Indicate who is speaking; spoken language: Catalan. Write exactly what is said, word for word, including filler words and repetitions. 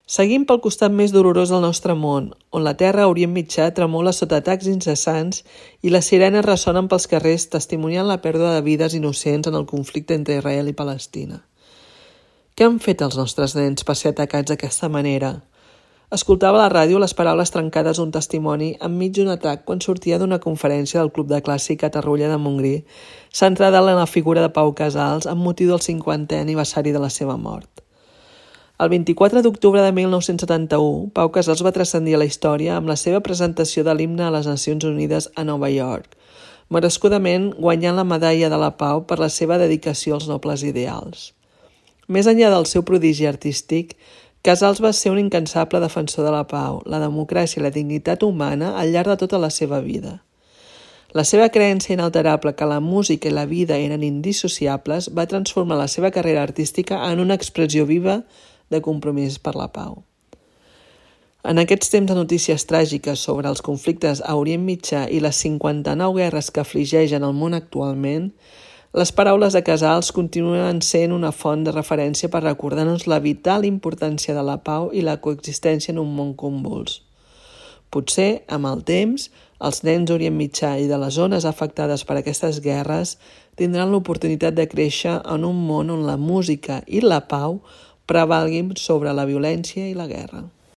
Speaker 1: Seguim pel costat més dolorós del nostre món, on la terra a Orient Mitjà tremola sota atacs incessants i les sirenes ressonen pels carrers testimoniant la pèrdua de vides innocents en el conflicte entre Israel i Palestina. Què han fet els nostres nens per ser atacats d'aquesta manera? Escoltava a la ràdio les paraules trencades d'un testimoni enmig d'un atac quan sortia d'una conferència del Club de Clàssic a Tarroja de Montgrí, centrada en la figura de Pau Casals amb motiu del cinquantè aniversari de la seva mort. El vint-i-quatre d'octubre de mil nou-cents setanta-u, Pau Casals va transcendir a la història amb la seva presentació de l'himne a les Nacions Unides a Nova York, merescudament guanyant la Medalla de la Pau per la seva dedicació als nobles ideals. Més enllà del seu prodigi artístic, Casals va ser un incansable defensor de la pau, la democràcia i la dignitat humana al llarg de tota la seva vida. La seva creença inalterable que la música i la vida eren indissociables va transformar la seva carrera artística en una expressió viva de compromís per la pau. En aquests temps de notícies tràgiques sobre els conflictes a Orient Mitjà i les cinquanta-nou guerres que afligeixen el món actualment, les paraules de Casals continuen sent una font de referència per recordar-nos la vital importància de la pau i la coexistència en un món convuls. Potser, amb el temps, els nens d'Orient Mitjà i de les zones afectades per aquestes guerres tindran l'oportunitat de créixer en un món on la música i la pau prevalguin sobre la violència i la guerra.